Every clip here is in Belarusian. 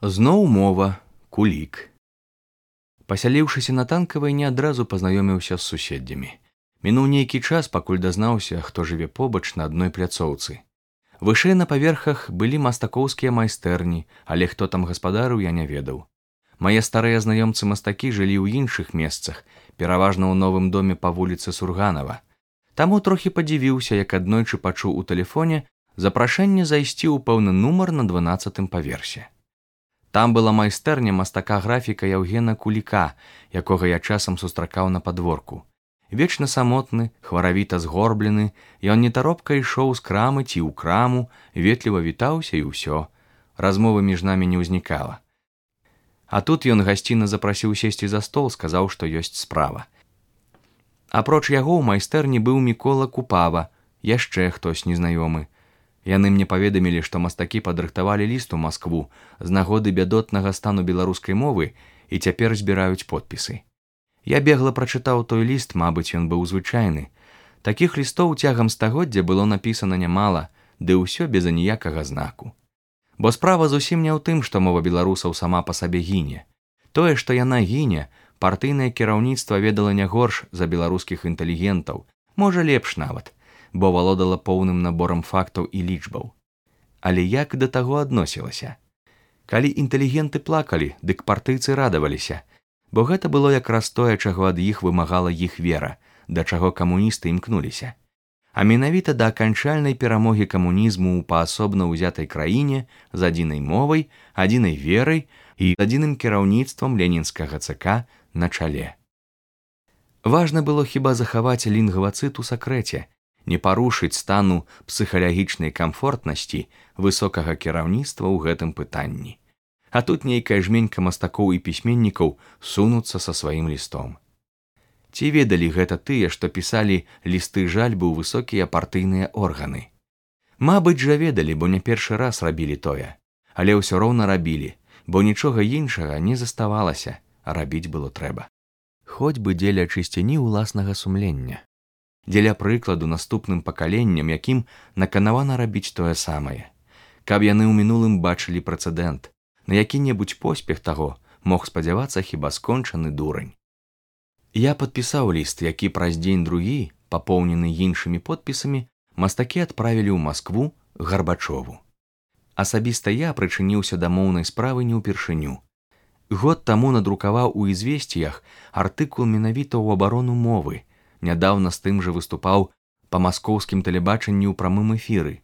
Зноў мова, кулік. Пасяліўшыся на Танкавай, не адразу пазнаёміўся з суседзямі. Мінуў нейкі час, пакуль дазнаўся, хто жыве побач на адной пляцоўцы. Вышэй на паверхах былі мастакоўскія майстэрні, але хто там гаспадарыў, я не ведаў. Мае старыя знаёмцы-мастакі жылі ў іншых месцах, пераважна ў новым доме па вуліцы Сурганава. Таму трохі падзівіўся, як аднойчы пачуў у тэлефоне запрашэнне зайсці ў пэўны нумар на 12-м паверсе. Там была майстэрня мастака-графіка Яўгена Куліка, якога я часам сустракаў на падворку. Вечна самотны, хваравіта згорблены, ён нетаропка ішоў з крамы ці ў краму, ветліва вітаўся і ўсё. Размовы між намі не ўзнікала. А тут ён гасціна запрасіў сесці за стол, сказаў, што ёсць справа. Апроч яго ў майстэрні быў Мікола Купава, яшчэ хтось незнаёмы. Яны мне паведамілі, што мастакі падрыхтавалі ліст у Маскву з нагоды бядотнага стану беларускай мовы і цяпер збіраюць подпісы. Я бегла прачытаў той ліст, мабыць, ён быў звычайны. Такіх лістоў цягам стагоддзя было напісана нямала, ды ўсё без аніякага знаку. Бо справа зусім не ў тым, што мова беларусаў сама па сабе гіне. Тое, што яна гіне, партыйнае кіраўніцтва ведала не горш за беларускіх інтэлігентаў, можа лепш нават, бо валодала поўным наборам фактаў і лічбаў. Але як да таго адносілася? Калі інтэлігенты плакалі, дык партыйцы радаваліся, бо гэта было якраз тое, чаго ад іх вымагала іх вера, да чаго камуністы імкнуліся. А менавіта да аканчальнай перамогі камунізму ў паасобна ўзятай краіне з адзінай мовай, адзінай верай і адзіным кіраўніцтвам ленінскага ЦК на чале. Важна было хіба захаваць лінгвацыт у сакрэце, не парушыць стану псіхалагічнай камфортнасці высокага кіраўніцтва ў гэтым пытанні. А тут нейкая жменька мастакоў і пісьменнікаў сунуцца са сваім лістом. Ці ведалі гэта тыя, што пісалі лісты жальбы ў высокія партыйныя органы? Мабыць жа ведалі, бо не першы раз рабілі тое, але ўсё роўна рабілі, бо нічога іншага не заставалася, а рабіць было трэба. Хоць бы дзеля чысціні ўласнага сумлення. Дзеля прыкладу наступным пакаленням, якім наканавана рабіць тое самае. Каб яны ў мінулым бачылі прэцэдэнт, на які-небудзь поспех таго мог спадзявацца хіба скончаны дурань. Я падпісаў ліст, які праз дзень-другі, папоўнены іншымі подпісамі, мастакі адправілі ў Маскву Гарбачову. Асабіста я прычыніўся да моўнай справы не ўпершыню. Год таму надрукаваў у «Ізвесціях» артыкул менавіта ў абарону мовы, нядаўна з тым жа выступаў па маскоўскім тэлебачанні ў прамым эфіры.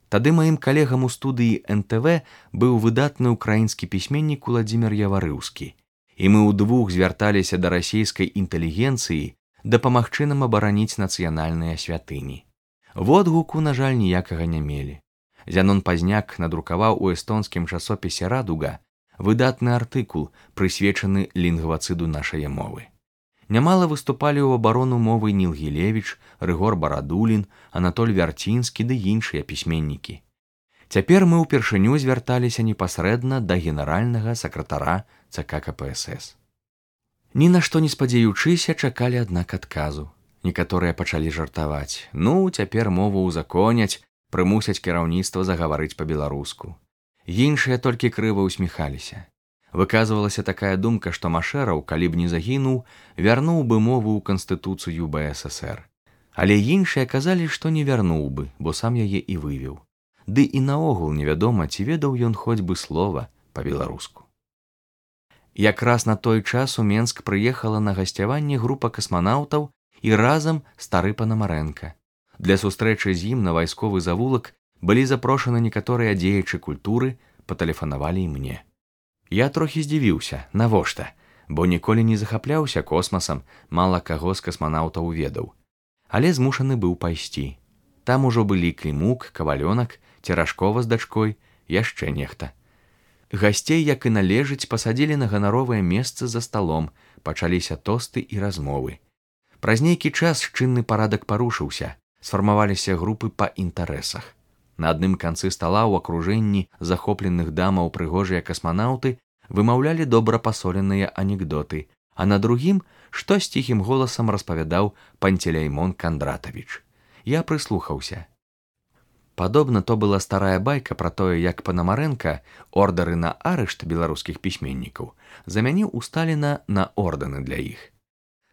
Тады маім калегам у студыі НТВ быў выдатны ўкраінскі пісьменнік Уладзімір Яварыўскі, і мы ўдвух звярталіся да расійскай інтэлігенцыі дапамагчы нам абараніць нацыянальныя святыні. Водгуку, на жаль, ніякага не мелі. Зянон Пазняк надрукаваў у эстонскім часопісе «Радуга» выдатны артыкул, прысвечаны лінгвацыду нашае мовы. Нямала выступалі ў абарону мовы Ніл Гілевіч, Рыгор Барадулін, Анатоль Вярцінскі ды іншыя пісьменнікі. Цяпер мы ўпершыню звярталіся непасрэдна да генеральнага сакратара ЦК КПСС. Ні на што не спадзяючыся, чакалі аднак адказу. Некаторыя пачалі жартаваць. Ну, цяпер мову ўзаконяць, прымусяць кіраўніцтва загаварыць па-беларуску. Іншыя толькі крыва ўсміхаліся. Выказвалася такая думка, што Машэраў, калі б не загінуў, вярнуў бы мову ў Канстытуцыю БССР. Але іншыя казалі, што не вярнуў бы, бо сам яе і вывеў. Ды і наогул невядома, ці ведаў ён хоць бы слова па-беларуску. Якраз на той час у Менск прыехала на гасцяванне група касманаўтаў і разам стары Панамарэнка. Для сустрэчы з ім на вайсковы завулак былі запрошаны некаторыя дзеячы культуры, патэлефанавалі і мне. Я трохі здзівіўся, навошта, бо ніколі не захапляўся космасам, мала каго з касманаўтаў ведаў. Але змушаны быў пайсці. Там ужо былі Клімук, Кавалёнак, Церажкова з дачкой, яшчэ нехта. Гасцей, як і належыць, пасадзілі на ганаровае месца за сталом, пачаліся тосты і размовы. Праз нейкі час чынны парадак парушыўся, сфармаваліся групы па інтарэсах. На адным канцы стала ў акружэнні захопленых дамаў прыгожыя касманаўты вымаўлялі добра пасоленыя анекдоты, а на другім штось ціхім голасам распавядаў Панцелеймон Кандратавіч. Я прыслухаўся. Падобна, то была старая байка пра тое, як Панамарэнка ордары на арышт беларускіх пісьменнікаў замяніў у Сталіна на ордэны для іх.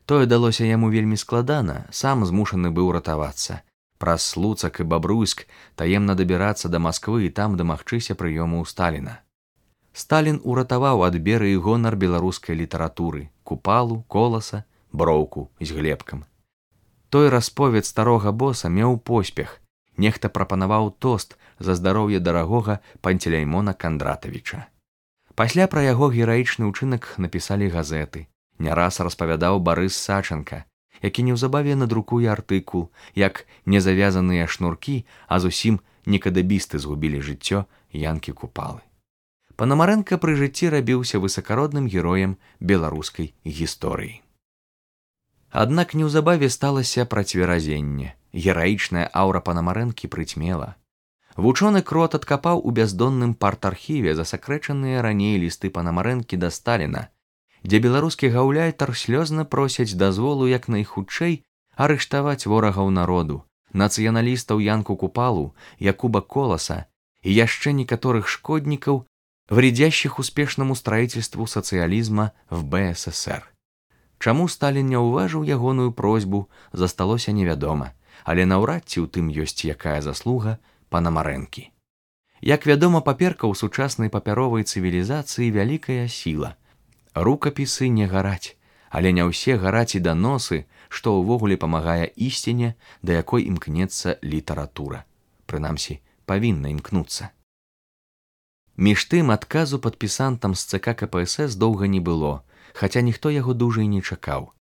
Тое далося яму вельмі складана, сам змушаны быў ратавацца. Праз Слуцак і Бабруйск таемна дабірацца да Масквы і там дамагчыся прыёму ў Сталіна. Сталін уратаваў ад беры і гонар беларускай літаратуры, Купалу, Коласа, Броўку з Глебкам. Той расповед старога боса меў поспех. Нехта прапанаваў тост за здароўе дарагога Панцелеймона Кандратавіча. Пасля пра яго гераічны ўчынак напісалі газеты. Не раз распавядаў Барыс Сачанка, які неўзабаве надрукуе артыкул, як незавязаныя шнуркі, а зусім некадабісты згубілі жыццё Янкі Купалы. Панамарэнка пры жыцці рабіўся высакародным героем беларускай гісторыі. Аднак неўзабаве сталася працверазенне. Гераічная аўра Панамарэнкі прыцьмела. Вучоны Крот адкапаў у бяздонным партархіве засакрэчаныя раней лісты Панамарэнкі да Сталіна, дзе беларускі гаўляйтар слёзна просяць дазволу як найхутчэй арыштаваць ворагаў народу, нацыяналістаў Янку Купалу, Якуба Коласа і яшчэ некаторых шкоднікаў, вредящих успешнаму строительству социализма в БССР. Чаму Сталін не ўважыў ягоную просьбу, засталося невядома, але наўрад ці ў тым ёсць якая заслуга Панамарэнкі. Як вядома, паперка ў сучаснай папяровай цывілізацыі вялікая сіла. Рукапісы не гараць, але не ўсе гараць і даносы, што ўвогуле памагае ісціне, да якой імкнецца літаратура. Прынамсі, павінна імкнуцца. Між тым, адказу падпісантам з ЦК КПСС доўга не было, хаця ніхто яго дужа і не чакаў.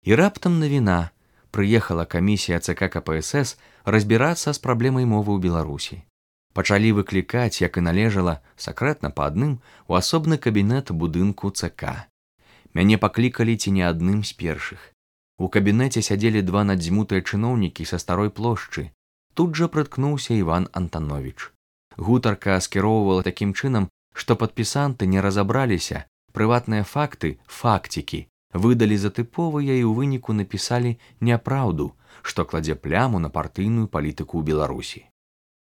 І раптам навіна. Прыехала камісія ЦК КПСС разбірацца з праблемай мовы ў Беларусі. Пачалі выклікаць, як і належала, сакрэтна па адным, у асобны кабінет будынку ЦК. Мяне паклікалі ці не адным з першых. У кабінеце сядзелі два надзьмутыя чыноўнікі са старой плошчы. Тут жа прыткнуўся Іван Антановіч. Гутарка скіроўвала такім чынам, што падпісанты не разабраліся, прыватныя факты, факцікі, выдалі за тыповыя і ў выніку напісалі няпраўду, што кладзе пляму на партыйную палітыку ў Беларусі.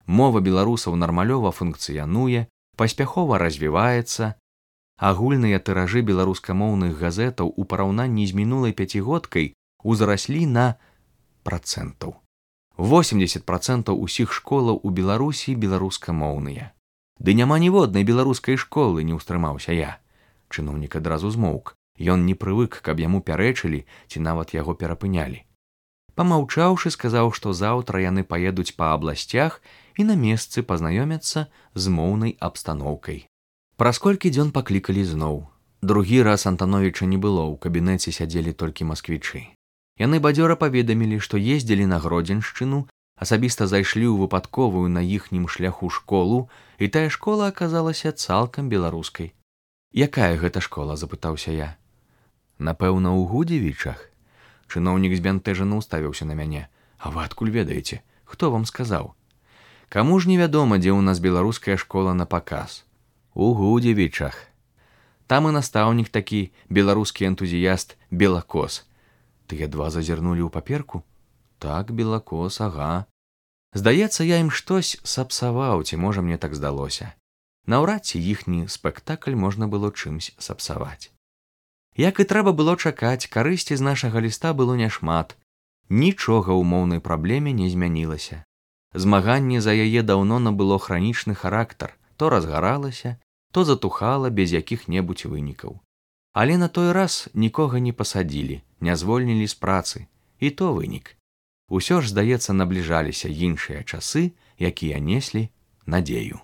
Мова беларусаў нармалёва функцыянуе, паспяхова развіваецца. Агульныя тыражы беларускамоўных газетаў у параўнанні з мінулай пяцігодкай узраслі на працэнтаў. 80% усіх школаў у Беларусі беларускамоўныя. Ды няма ніводнай беларускай школы, не ўстрымаўся я. Чыноўнік адразу змоўк. Ён не прывык, каб яму пярэчылі ці нават яго перапынялі. Памаўчаўшы, сказаў, што заўтра яны паедуць па абласцях і на месцы пазнаёмяцца з моўнай абстаноўкай. Праз колькі дзён паклікалі зноў. Другі раз Антановіча не было, у кабінеце сядзелі толькі масквічы. Яны бадзёра паведамілі, што ездзілі на Гродзеншчыну, асабіста зайшлі ў выпадковую на іхнім шляху школу, і тая школа аказалася цалкам беларускай. «Якая гэта школа?» – запытаўся я. «Напэўна, у Гудзевічах?» Чыноўнік збянтэжана ўставіўся на мяне. «А вы адкуль ведаеце? Хто вам сказаў?» «Каму ж невядома, дзе ў нас беларуская школа на паказ?» «У Гудзевічах. Там і настаўнік такі, беларускі энтузіяст Белакос». Тыя два зазірнулі ў паперку? «Так, Белакос, ага. Здаецца, я ім штось сапсаваў, ці можа мне так здалося. Наўрад ці іхні спектакль можна было чымсь сапсаваць». Як і трэба было чакаць, карысці з нашага ліста было няшмат. Нічога ў моўнай праблеме не змянілася. Змаганне за яе даўно набыло хранічны характар, то разгаралася, то затухала без якіх-небудзь вынікаў. Але на той раз нікога не пасадзілі, не звольнілі з працы, і то вынік. Усё ж, здаецца, набліжаліся іншыя часы, якія неслі надзею.